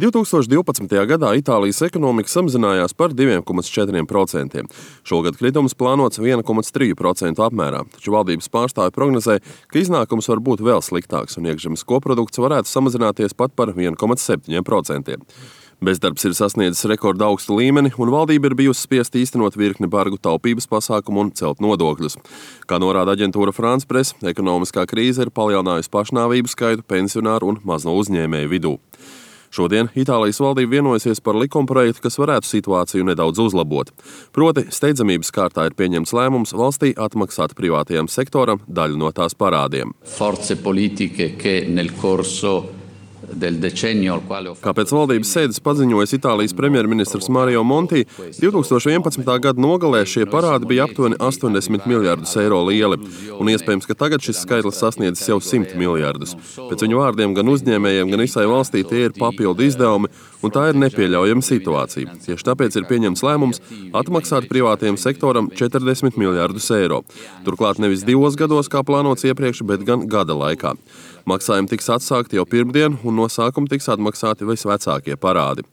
2012. gadā Itālijas ekonomika samazinājās par 2,4%. Šogad kritums plānots 1,3% apmērā, taču valdības pārstāvji prognozē, ka iznākums var būt vēl sliktāks un iekšzemes koprodukts varētu samazināties pat par 1,7%. Bezdarbs ir sasniedzis rekorda augstu līmeni, un valdība ir bijusi spiesta īstenot virkni bargu taupības pasākumu un celt nodokļus. Kā norāda aģentūra France Press, ekonomiskā krīze ir palielinājusi pašnāvību skaitu pensionāru un mazo uzņēmēju vidū. Šodien Itālijas valdība vienojusies par likumprojektu, kas varētu situāciju nedaudz uzlabot. Proti, steidzamības kārtā ir pieņemts lēmums valstī atmaksāt privātajam sektoram daļu no tās parādiem. Kā pēc valdības sēdes paziņojas Itālijas premjerministrs Mario Monti, 2011. gada nogalē šie parādi bija aptuveni 80 miljardus eiro lieli, un iespējams, ka tagad šis skaitlis sasniedzis jau 100 miljardus. Pēc viņu vārdiem gan uzņēmējiem, gan visai valstī tie ir papildu izdevumi, un tā ir nepieļaujama situācija. Tieši tāpēc ir pieņemts lēmums atmaksāt privātajam sektoram 40 miljardus eiro. Turklāt nevis 2 gados, kā plānots iepriekš, bet gan gada laikā. Maksājumi tiks atsākti jau pirmdien, un no sākuma tiks atmaksāti visvecākie parādi.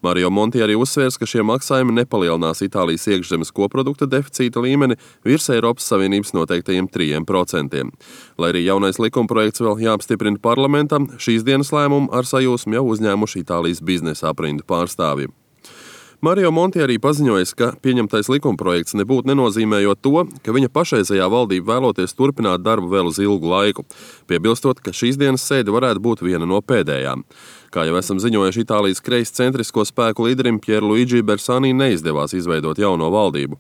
Mario Monti arī uzsvērs, ka šie maksājumi nepalielinās Itālijas iekšzemes koprodukta deficīta līmeni virs Eiropas Savienības noteiktajiem 3%. Lai arī jaunais likumprojekts vēl jāapstiprina parlamentam, šīs dienas lēmumu ar sajūsmu jau uzņēmuši Itālijas biznesa aprindu pārstāvji. Mario Monti arī paziņoja, ka pieņemtais likumprojekts nebūtu nenozīmējot to, ka viņa pašreizējā valdība vēloties turpināt darbu vēl uz ilgu laiku, piebilstot, ka šīs dienas sēde varētu būt viena no pēdējām. Kā jau esam ziņojuši, Itālijas kreiscentrisko spēku līderim Pierluigi Bersani neizdevās izveidot jauno valdību.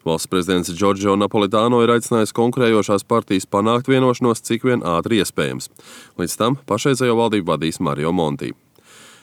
Valsts prezidents Giorgio Napolitano ir aicinājis konkurējošās partijas panākt vienošanos cik vien ātri iespējams. Līdz tam pašreizējo valdību vadīs Mario Monti.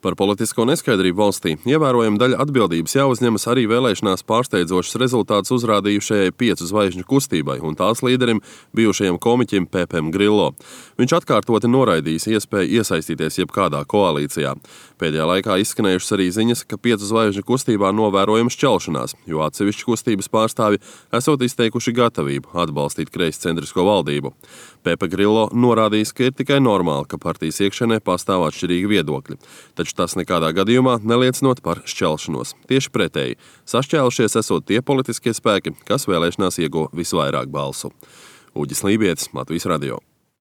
Par politisko neskaidrību valstī ievērojama daļa atbildības jāuzņemas arī vēlēšanās pārsteidzošas rezultātus uzrādījušajai 5 zvaigžņu kustībai un tās līderim bijušajam komiķim Pepem Grillo. Viņš atkārtoti noraidījis iespēju iesaistīties jebkādā koalīcijā. Pēdējā laikā izskanējušas arī ziņas, ka 5 zvaigžņu kustībā novērojama šķelšanās, jo atsevišķi kustības pārstāvi esot izteikuši gatavību atbalstīt kreiscentrisko valdību. Pepe Grillo norādījis, ka ir tikai normāli, ka partijas iekšienē pastāv atšķirīgi viedokļi. Taču tas nekādā gadījumā neliecinot par šķelšanos. Tieši pretēji, sašķēlušies esot tie politiskie spēki, kas vēlēšanās ieguva visvairāk balsu. Uģis Lībietis, Latvijas radio.